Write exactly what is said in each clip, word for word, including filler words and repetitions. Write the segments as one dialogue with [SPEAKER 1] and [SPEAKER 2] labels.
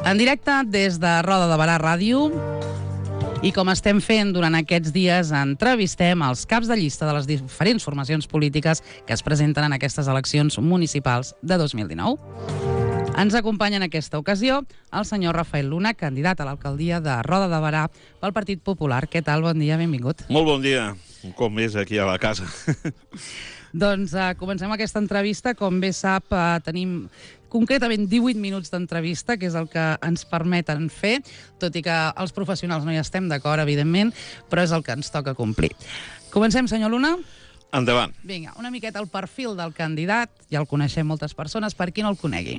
[SPEAKER 1] En directe des de Roda de Barà Ràdio. I com estem fent durant aquests dies, entrevistem els caps de llista de les diferents formacions polítiques que es presenten en aquestes eleccions municipals de dos mil dinou. Ens acompanya en aquesta ocasió el senyor Rafael Luna, candidat a l'alcaldia de Roda de Barà pel Partit Popular. Què tal? Bon dia, benvingut.
[SPEAKER 2] Molt bon dia, un cop més aquí a la casa.
[SPEAKER 1] Doncs uh, comencem aquesta entrevista. Com bé sap, uh, tenim concretament divuit minuts d'entrevista, que és el que ens permeten fer, tot i que els professionals no hi estem d'acord, evidentment, però és el que ens toca complir. Comencem, senyor Luna?
[SPEAKER 2] Endavant.
[SPEAKER 1] Vinga, una miqueta el perfil del candidat, ja el coneixem moltes persones, per qui no el conegui.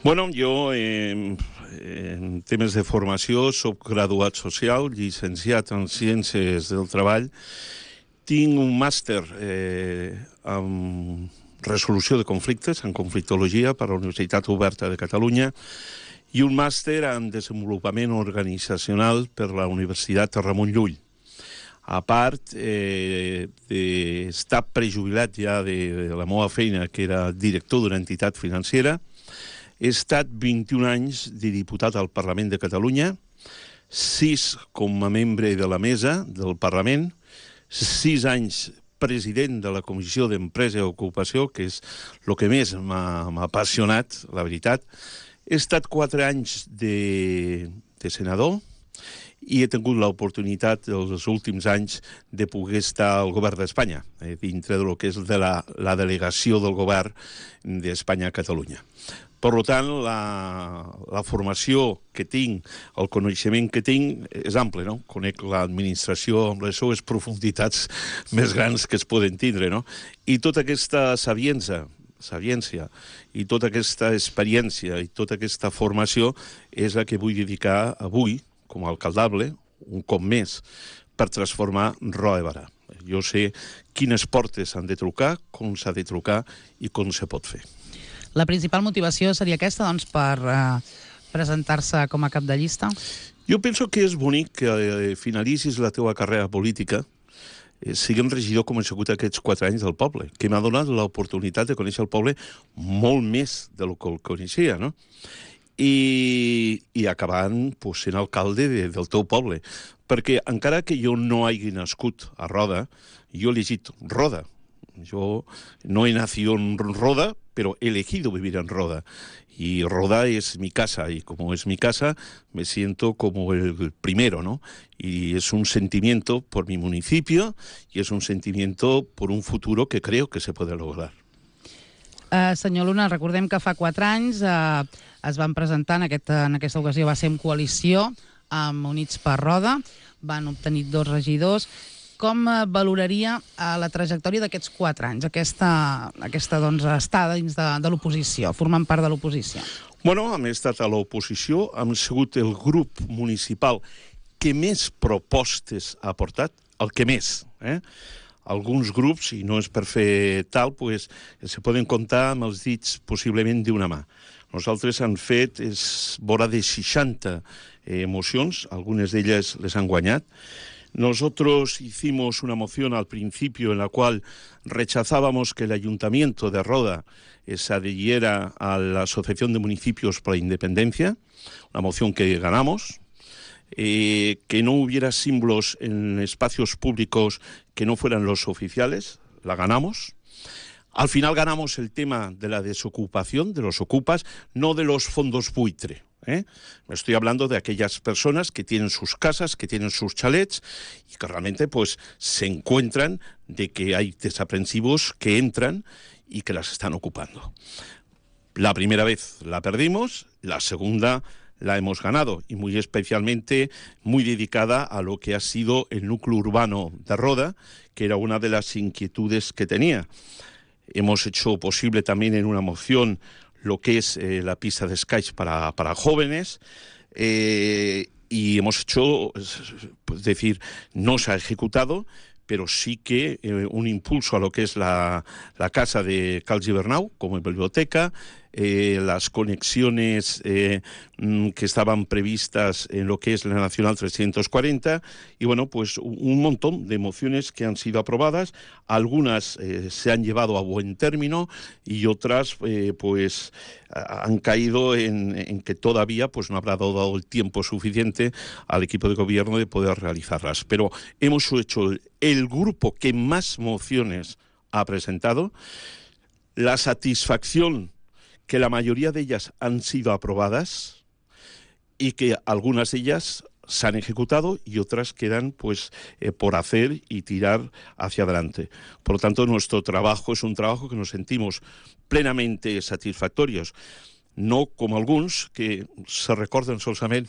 [SPEAKER 2] Bueno, jo eh, en temes de formació soc graduat social, llicenciat en Ciències del Treball, tinc un màster eh, en resolució de conflictes, en conflictologia per la Universitat Oberta de Catalunya i un màster en desenvolupament organitzacional per la Universitat Ramon Llull. A part eh, d'estar prejubilat ja de, de la meva feina, que era director d'una entitat financera, he estat vint-i-un anys de diputat al Parlament de Catalunya, sis com a membre de la mesa del Parlament, sis anys president de la Comissió d'Empresa i Ocupació, que és el que més m'ha apassionat, la veritat. He estat quatre anys de, de senador i he tingut l'oportunitat els últims anys de poder estar al govern d'Espanya, eh, dintre del que és de la, la delegació del govern d'Espanya a Catalunya. Per tant, la, la formació que tinc, el coneixement que tinc, és ample, no? Conec l'administració amb les seues profunditats més grans que es poden tindre, no? I tota aquesta saviença, saviència, i tota aquesta experiència i tota aquesta formació és la que vull dedicar avui, com a alcaldable, un cop més, per transformar Roda de Barà. Jo sé quines portes s'han de trucar, com s'ha de trucar i com se pot fer.
[SPEAKER 1] La principal motivació seria aquesta, doncs, per eh, presentar-se com a cap de llista?
[SPEAKER 2] Jo penso que és bonic que eh, finalitzis la teva carrera política eh, siguem regidor com he sigut aquests quatre anys del poble, que m'ha donat l'oportunitat de conèixer el poble molt més del que el coneixia, no? I, i acabant pues, sent alcalde de, del teu poble. Perquè encara que jo no hagi nascut a Roda, jo he elegit Roda. Yo no he nacido en Roda, pero he elegido vivir en Roda. Y Roda es mi casa, y como es mi casa, me siento como el primero, ¿no? Y es un sentimiento por mi municipio, y es un sentimiento por un futuro que creo que se puede lograr.
[SPEAKER 1] Uh, senyor Luna, recordem que fa quatre anys uh, es van presentar, en, aquest, en aquesta ocasió va ser en coalició amb Units per Roda, van obtenir dos regidors. Com valoraria la trajectòria d'aquests quatre anys, aquesta, aquesta doncs, estada dins de, de l'oposició, formant part de l'oposició?
[SPEAKER 2] Bueno, hem estat a l'oposició, hem sigut el grup municipal que més propostes ha portat, el que més. Eh? Alguns grups, i no és per fer tal, pues, se poden comptar amb els dits possiblement d'una mà. Nosaltres hem fet és vora de seixanta eh, mocions, algunes d'elles les han guanyat. Nosotros hicimos una moción al principio en la cual rechazábamos que el Ayuntamiento de Roda eh, se adhiriera a la Asociación de Municipios por la Independencia, una moción que ganamos, eh, que no hubiera símbolos en espacios públicos que no fueran los oficiales, la ganamos. Al final ganamos el tema de la desocupación, de los ocupas, no de los fondos buitre. ¿Eh? Me estoy hablando de aquellas personas que tienen sus casas, que tienen sus chalets y que realmente pues, se encuentran de que hay desaprensivos que entran y que las están ocupando. La primera vez la perdimos, la segunda la hemos ganado y muy especialmente muy dedicada a lo que ha sido el núcleo urbano de Roda, que era una de las inquietudes que tenía. Hemos hecho posible también en una moción lo que es eh, la pista de Sky para, para jóvenes eh, y hemos hecho, es decir, no se ha ejecutado, pero sí que eh, un impulso a lo que es la, la casa de Cal Gibernau como biblioteca, eh, las conexiones eh, que estaban previstas en lo que es la Nacional trescientos cuarenta, y bueno, pues un montón de mociones que han sido aprobadas, algunas eh, se han llevado a buen término y otras eh, pues han caído en, en que todavía pues no habrá dado el tiempo suficiente al equipo de gobierno de poder realizarlas. Pero hemos hecho el grupo que más mociones ha presentado, la satisfacción que la mayoría de ellas han sido aprobadas y que algunas de ellas se han ejecutado y otras quedan pues eh, por hacer y tirar hacia adelante. Por lo tanto, nuestro trabajo es un trabajo que nos sentimos plenamente satisfactorios, no como alguns que se recorden solament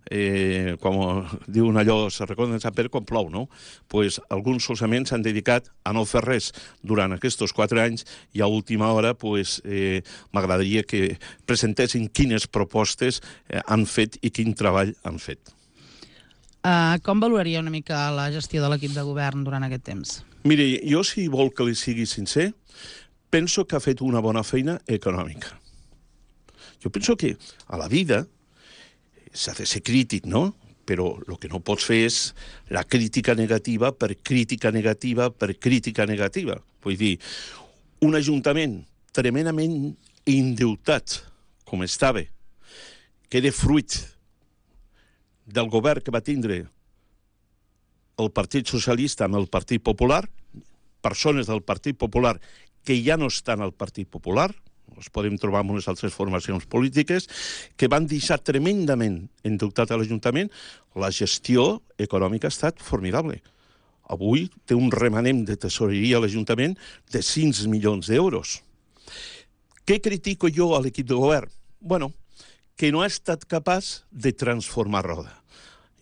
[SPEAKER 2] eh, com diuen allò, se recorden saber quan plou, no? Pues alguns solament s'han dedicat a no fer res durant aquests quatre anys i a última hora pues, eh, m'agradaria que presentessin quines propostes eh, han fet i quin treball han fet.
[SPEAKER 1] Uh, com valoraria una mica la gestió de l'equip de govern durant aquest temps?
[SPEAKER 2] Mire, jo si vol que li sigui sincer, penso que ha fet una bona feina econòmica. Jo penso que a la vida s'ha de ser crític, no? Però el que no pots fer és la crítica negativa per crítica negativa per crítica negativa. Vull dir, un ajuntament tremendament endeutat, com estava, que era fruit del govern que va tindre el Partit Socialista amb el Partit Popular, persones del Partit Popular que ja no estan al Partit Popular, els podem trobar en unes altres formacions polítiques, que van deixar tremendament endeutat a l'Ajuntament. La gestió econòmica ha estat formidable. Avui té un remanent de tesoreria a l'Ajuntament de cinc milions d'euros. Què critico jo a l'equip de govern? Bueno, que no ha estat capaç de transformar Roda.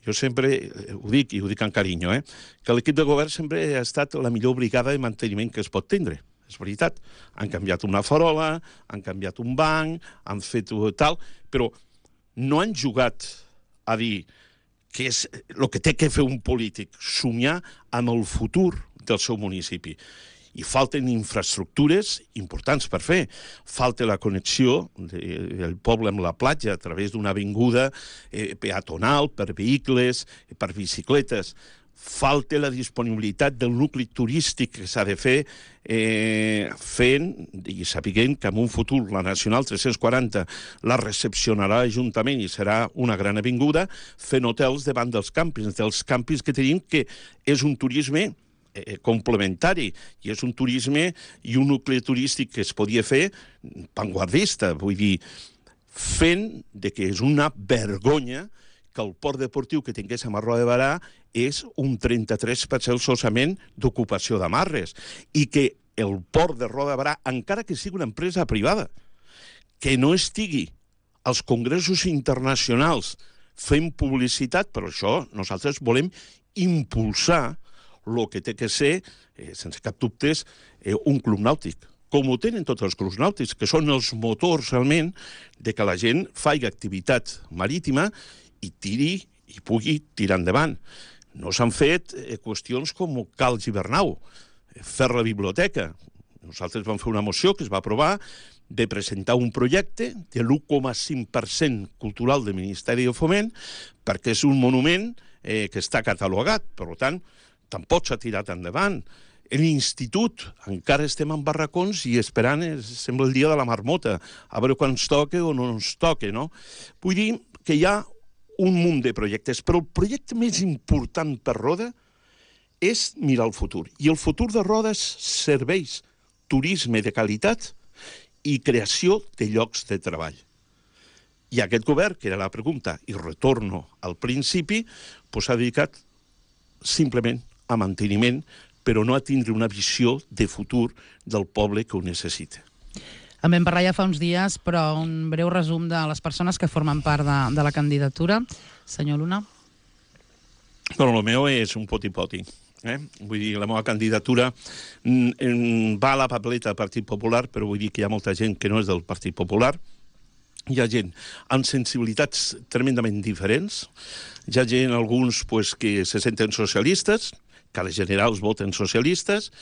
[SPEAKER 2] Jo sempre ho dic, i ho dic amb carinyo, eh? que l'equip de govern sempre ha estat la millor brigada de manteniment que es pot tindre. És veritat, han canviat una farola, han canviat un banc, han fet tal, però no han jugat a dir que és el que té que fer un polític, somiar amb el futur del seu municipi. I falten infraestructures importants per fer. Falta la connexió del poble amb la platja a través d'una avinguda eh, peatonal per vehicles, per bicicletes. Falta la disponibilitat del nucli turístic que s'ha de fer eh, fent i sapiguent que en un futur la Nacional tres-cents quaranta la recepcionarà l'Ajuntament i serà una gran avinguda fent hotels davant dels càmpings, dels càmpings que tenim, que és un turisme eh, complementari i és un turisme i un nucli turístic que es podia fer vanguardista, vull dir, fent de que és una vergonya que el port deportiu que tinguéssim a Roda de Berà és un trenta-tres per cent solament d'ocupació d'amarres i que el port de Roda de Berà, encara que sigui una empresa privada, que no estigui als congressos internacionals fent publicitat, per això nosaltres volem impulsar el que té que ser, eh, sense cap dubte, eh, un club nàutic, com ho tenen tots els clubs nàutics, que són els motors realment de que la gent faci activitat marítima i tiri i pugui tirar endavant. No s'han fet eh, qüestions com Cal Gibernau, eh, fer la biblioteca. Nosaltres vam fer una moció que es va aprovar de presentar un projecte de l'u coma cinc per cent cultural del Ministeri de Foment perquè és un monument eh, que està catalogat, per tant, tampoc s'ha tirat endavant. L'institut, encara estem en barracons i esperant, eh, sembla el dia de la marmota, a veure quan ens toca o no ens toca, no? Vull dir que hi ha un munt de projectes, però el projecte més important per Roda és mirar el futur. I el futur de Roda és serveis, turisme de qualitat i creació de llocs de treball. I aquest govern, que era la pregunta, i retorno al principi, doncs s'ha dedicat simplement a manteniment, però no a tindre una visió de futur del poble que ho necessita.
[SPEAKER 1] En vam parlar ja fa uns dies, però un breu resum de les persones que formen part de, de la candidatura. Senyor Luna.
[SPEAKER 2] Bueno, el meu és un poti-poti. Eh? Vull dir, la meva candidatura va a la papeleta del Partit Popular, però vull dir que hi ha molta gent que no és del Partit Popular. Hi ha gent amb sensibilitats tremendament diferents. Hi ha gent, alguns, pues, que se senten socialistes, que a les generals voten socialistes.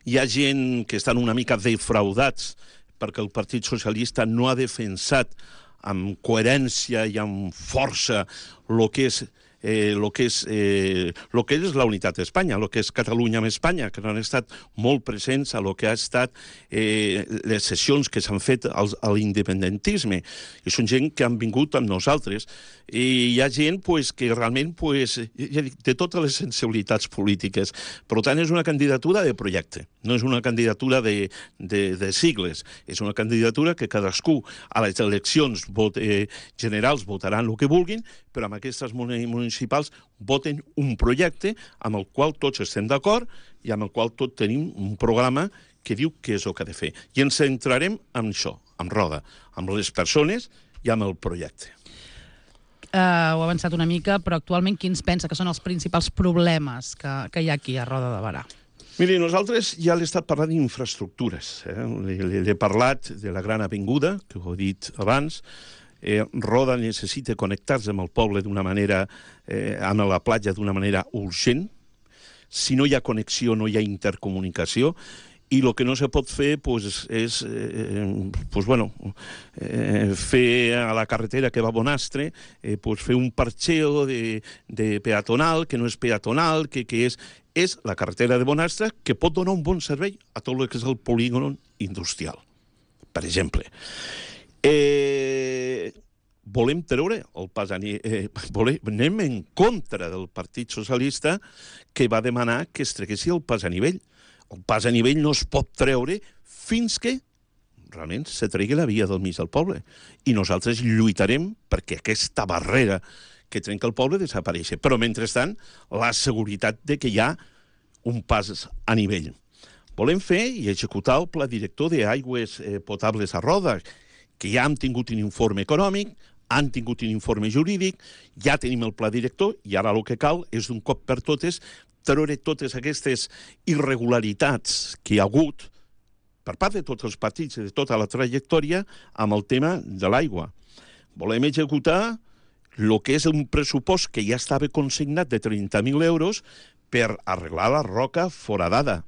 [SPEAKER 2] Hi ha gent que estan una mica defraudats perquè el Partit Socialista no ha defensat amb coherència i amb força el que és Eh, lo que és, eh, lo que és la unitat d'Espanya, el que és Catalunya amb Espanya, que no han estat molt presents a lo que ha estat eh, les sessions que s'han fet al, a l'independentisme. I són gent que han vingut amb nosaltres. I hi ha gent pues, que realment pues, ja dic, té totes les sensibilitats polítiques. Per tant, és una candidatura de projecte, no és una candidatura de, de, de sigles. És una candidatura que cadascú a les eleccions vot, eh, generals votaran el que vulguin, però amb aquestes municipals voten un projecte amb el qual tots estem d'acord i amb el qual tots tenim un programa que diu què és el que ha de fer. I ens centrarem en això, en Roda, amb les persones i amb el projecte.
[SPEAKER 1] Uh, ho ha avançat una mica, però actualment quins pensa que són els principals problemes que, que hi ha aquí a Roda de Berà?
[SPEAKER 2] Miri, nosaltres ja l'he estat parlant d'infraestructures. Eh? L'he parlat de la Gran Avinguda, que ho he dit abans. Eh, Roda necessita connectar-se amb el poble d'una manera, eh, amb la platja d'una manera urgent. Si no hi ha connexió, no hi ha intercomunicació. I el que no se pot fer pues, és eh, pues, bueno, eh, fer a la carretera que va a Bonastre, eh, pues, fer un parxeo de, de peatonal, que no és peatonal, que, que és, és la carretera de Bonastre, que pot donar un bon servei a tot el que és el polígon industrial, per exemple. Eh, volem treure el pas a nivell, eh, volem, anem en contra del Partit Socialista que va demanar que es treguessi el pas a nivell. El pas a nivell no es pot treure fins que realment se tregui la via del mig del poble. I nosaltres lluitarem perquè aquesta barrera que trenca el poble desapareixi. Però, mentrestant, la seguretat de que hi ha un pas a nivell. Volem fer i executar el pla director d'aigües eh, potables a Roda, que ja hem tingut un informe econòmic, han tingut un informe jurídic, ja tenim el pla director i ara el que cal és d'un cop per totes treure totes aquestes irregularitats que hi ha hagut per part de tots els partits i de tota la trajectòria amb el tema de l'aigua. Volem executar el que és un pressupost que ja estava consignat de trenta mil euros per arreglar la roca foradada.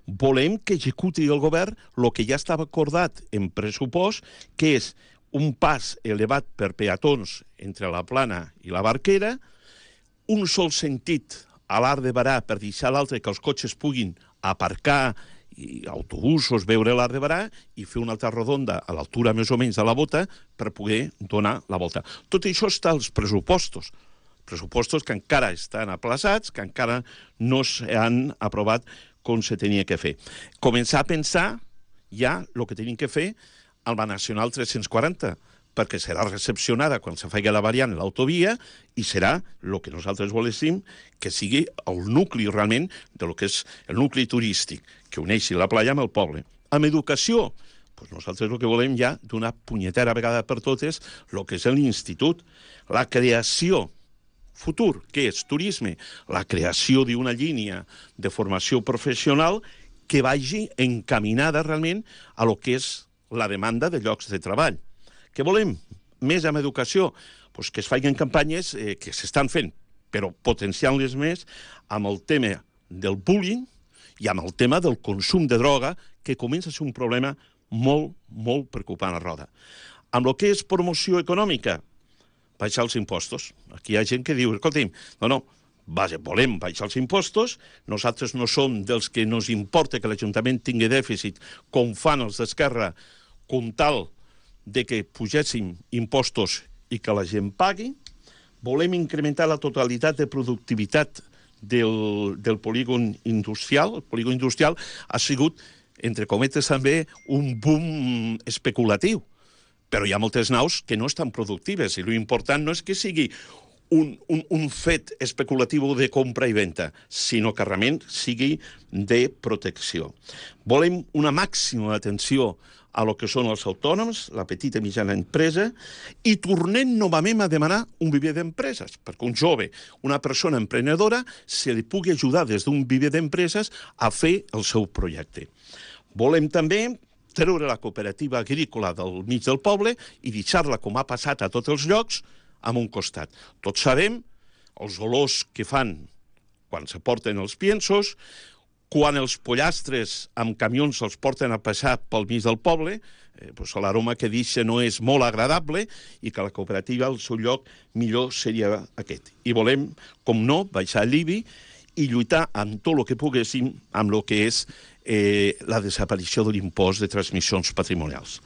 [SPEAKER 2] Volem que executi el govern el que ja estava acordat en pressupost, que és un pas elevat per peatons entre la Plana i la Barquera, un sol sentit a l'Arc de Berà per deixar l'altre que els cotxes puguin aparcar i autobusos, veure l'Arc de Berà i fer una altra rodonda a l'altura més o menys de la bota per poder donar la volta. Tot això està als pressupostos. Pressupostos que encara estan aplaçats, que encara no s'han aprovat com se tenia que fer. Començar a pensar ja el que tenim que fer amb la Nacional tres-cents quaranta, perquè serà recepcionada quan se faci la variant l'autovia i serà el que nosaltres voléssim que sigui el nucli realment de lo que és el nucli turístic, que uneixi la playa amb el poble. Amb educació, doncs nosaltres el que volem ja d'una punyetera vegada per totes el que és l'institut, la creació futur, que és turisme, la creació d'una línia de formació professional que vagi encaminada realment a lo que és la demanda de llocs de treball. Què volem? Més amb educació? Pues que es facin campanyes eh, que s'estan fent, però potenciant-les més amb el tema del bullying i amb el tema del consum de droga, que comença a ser un problema molt, molt preocupant a Roda. Amb el que és promoció econòmica, baixar els impostos. Aquí hi ha gent que diu, escolti'm, no, no, vaja, volem baixar els impostos, nosaltres no som dels que nos importa que l'Ajuntament tingui dèficit, com fan els d'Esquerra, com tal de que pugéssim impostos i que la gent pagui. Volem incrementar la totalitat de productivitat del, del polígon industrial. El polígon industrial ha sigut, entre cometes també, un boom especulatiu. Però hi ha moltes naus que no estan productives i l'important no és que sigui un, un, un fet especulatiu de compra i venda, sinó que realment sigui de protecció. Volem una màxima atenció a lo que són els autònoms, la petita i mitjana empresa, i tornem novament a demanar un viver d'empreses, perquè un jove, una persona emprenedora, se li pugui ajudar des d'un viver d'empreses a fer el seu projecte. Volem també treure la cooperativa agrícola del mig del poble i deixar-la, com ha passat a tots els llocs, a un costat. Tots sabem els olors que fan quan se porten els piensos, Quan els pollastres amb camions els porten a passar pel mig del poble, eh, doncs l'aroma que deixa no és molt agradable i que la cooperativa, al seu lloc, millor seria aquest. I volem, com no, baixar l'I B I i lluitar amb tot el que poguéssim amb el que és eh, la desaparició de l'impost de transmissions patrimonials.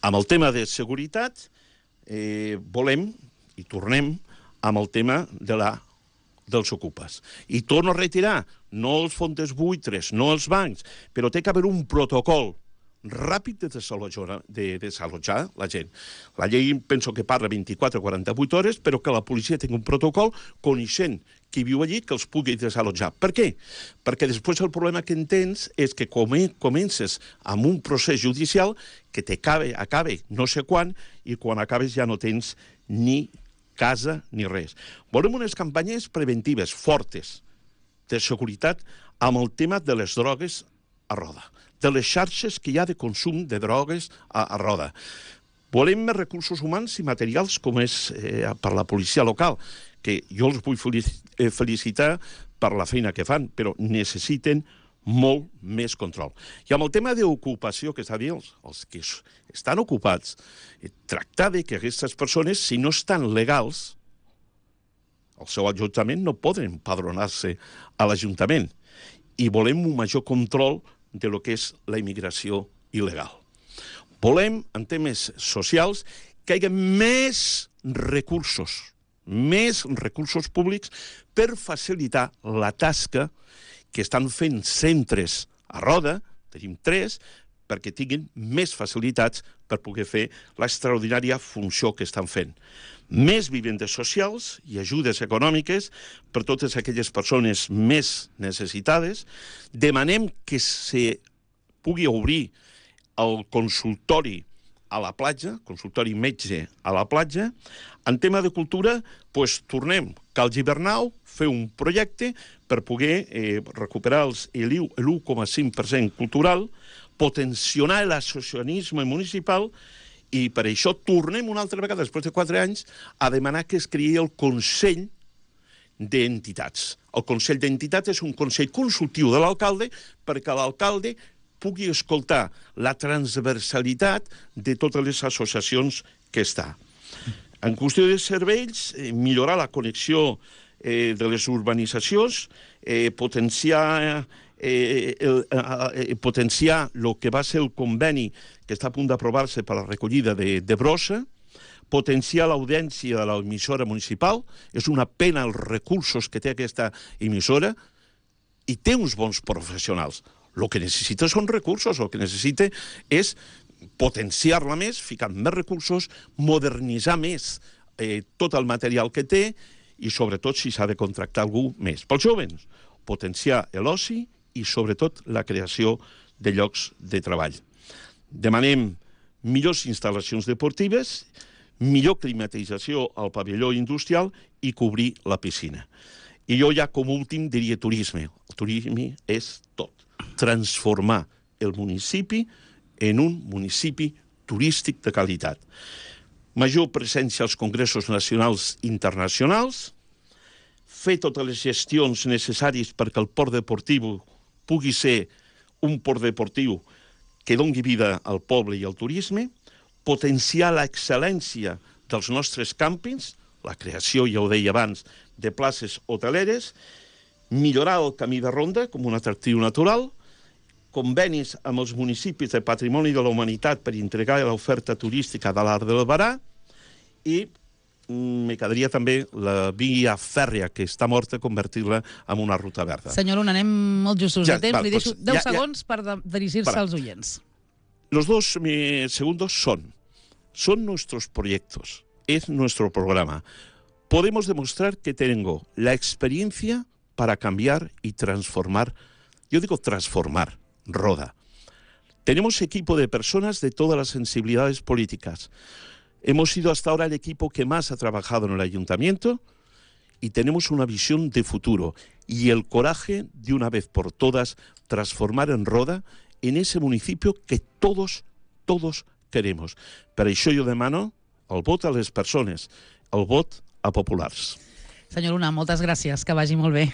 [SPEAKER 2] Amb el tema de seguretat, eh, volem, i tornem, amb el tema de la dels ocupes. I torno a retirar, no els fonts buitres, no els bancs, però té que haver un protocol ràpid de desalojar, de desalojar la gent. La llei penso que parla vint-i-quatre a quaranta-vuit hores, però que la policia tingui un protocol coneixent qui viu allí que els pugui desalojar. Per què? Perquè després el problema que en tens és que comences amb un procés judicial que t'acabe, acabe no sé quan, i quan acabes ja no tens ni casa ni res. Volem unes campanyes preventives fortes de seguretat amb el tema de les drogues a roda, de les xarxes que hi ha de consum de drogues a, a roda. Volem més recursos humans i materials com és eh, per la policia local, que jo els vull felicitar per la feina que fan, però necessiten molt més control. I amb el tema d'ocupació, que està dient, els, els que estan ocupats, eh, tractar de que aquestes persones, si no estan legals, el seu ajuntament no poden empadronar-se a l'Ajuntament. I volem un major control de lo que és la immigració il·legal. Volem, en temes socials, que hi hagi més recursos, més recursos públics per facilitar la tasca que estan fent centres a roda, tenim tres, perquè tinguin més facilitats per poder fer l'extraordinària funció que estan fent. Més vivendes socials i ajudes econòmiques per totes aquelles persones més necessitades. Demanem que se pugui obrir el consultori a la platja, consultori metge a la platja. En tema de cultura, doncs tornem, cal Gibernau, fer un projecte per poder eh, recuperar els, l'u coma cinc per cent cultural, potenciar l'associacionisme municipal, i per això tornem una altra vegada, després de quatre anys, a demanar que es creï el Consell d'Entitats. El Consell d'Entitats és un consell consultiu de l'alcalde perquè l'alcalde pugui escoltar la transversalitat de totes les associacions que està. En qüestió de serveis, eh, millorar la connexió eh, de les urbanitzacions, eh, potenciar, eh, el, eh, potenciar el que va ser el conveni que està a punt d'aprovar-se per a la recollida de, de brossa, potenciar l'audiència de l'emissora municipal. És una pena els recursos que té aquesta emissora i té uns bons professionals. El que necessita són recursos, el que necessita és potenciar-la més, ficar més recursos, modernitzar més eh, tot el material que té i, sobretot, si s'ha de contractar algú més. Pels jovens, potenciar l'oci i, sobretot, la creació de llocs de treball. Demanem millors instal·lacions deportives, millor climatització al pavelló industrial i cobrir la piscina. I jo ja, com últim, diria turisme. El turisme és tot. Transformar el municipi en un municipi turístic de qualitat. Major presència als congressos nacionals i internacionals, fer totes les gestions necessàries perquè el port deportiu pugui ser un port deportiu que doni vida al poble i al turisme, potenciar l'excel·lència dels nostres càmpings, la creació, ja ho deia abans, de places hoteleres, millorar el camí de ronda com un atractiu natural, convenis amb els municipis de Patrimoni de la Humanitat per entregar l'oferta turística de l'Arc del Barà i me quedaria també la via fèrria que està morta, convertir-la en una ruta verda.
[SPEAKER 1] Senyor Luna, anem molt justos
[SPEAKER 2] ja,
[SPEAKER 1] de temps.
[SPEAKER 2] Val,
[SPEAKER 1] Li deixo
[SPEAKER 2] pues,
[SPEAKER 1] deu
[SPEAKER 2] ja,
[SPEAKER 1] segons
[SPEAKER 2] ja.
[SPEAKER 1] per de, dirigir-se als oients.
[SPEAKER 2] Los dos eh, segundos son, son nuestros proyectos, es nuestro programa. Podemos demostrar que tengo la experiencia para cambiar y transformar, yo digo transformar, Roda. Tenemos equipo de personas de todas las sensibilidades políticas. Hemos sido hasta ahora el equipo que más ha trabajado en el ayuntamiento y tenemos una visión de futuro y el coraje de una vez por todas transformar en Roda en ese municipio que todos, todos queremos. Per això jo demano el vot a les persones, el vot a populars.
[SPEAKER 1] Senyor Luna, moltes gràcies, que vagi molt bé.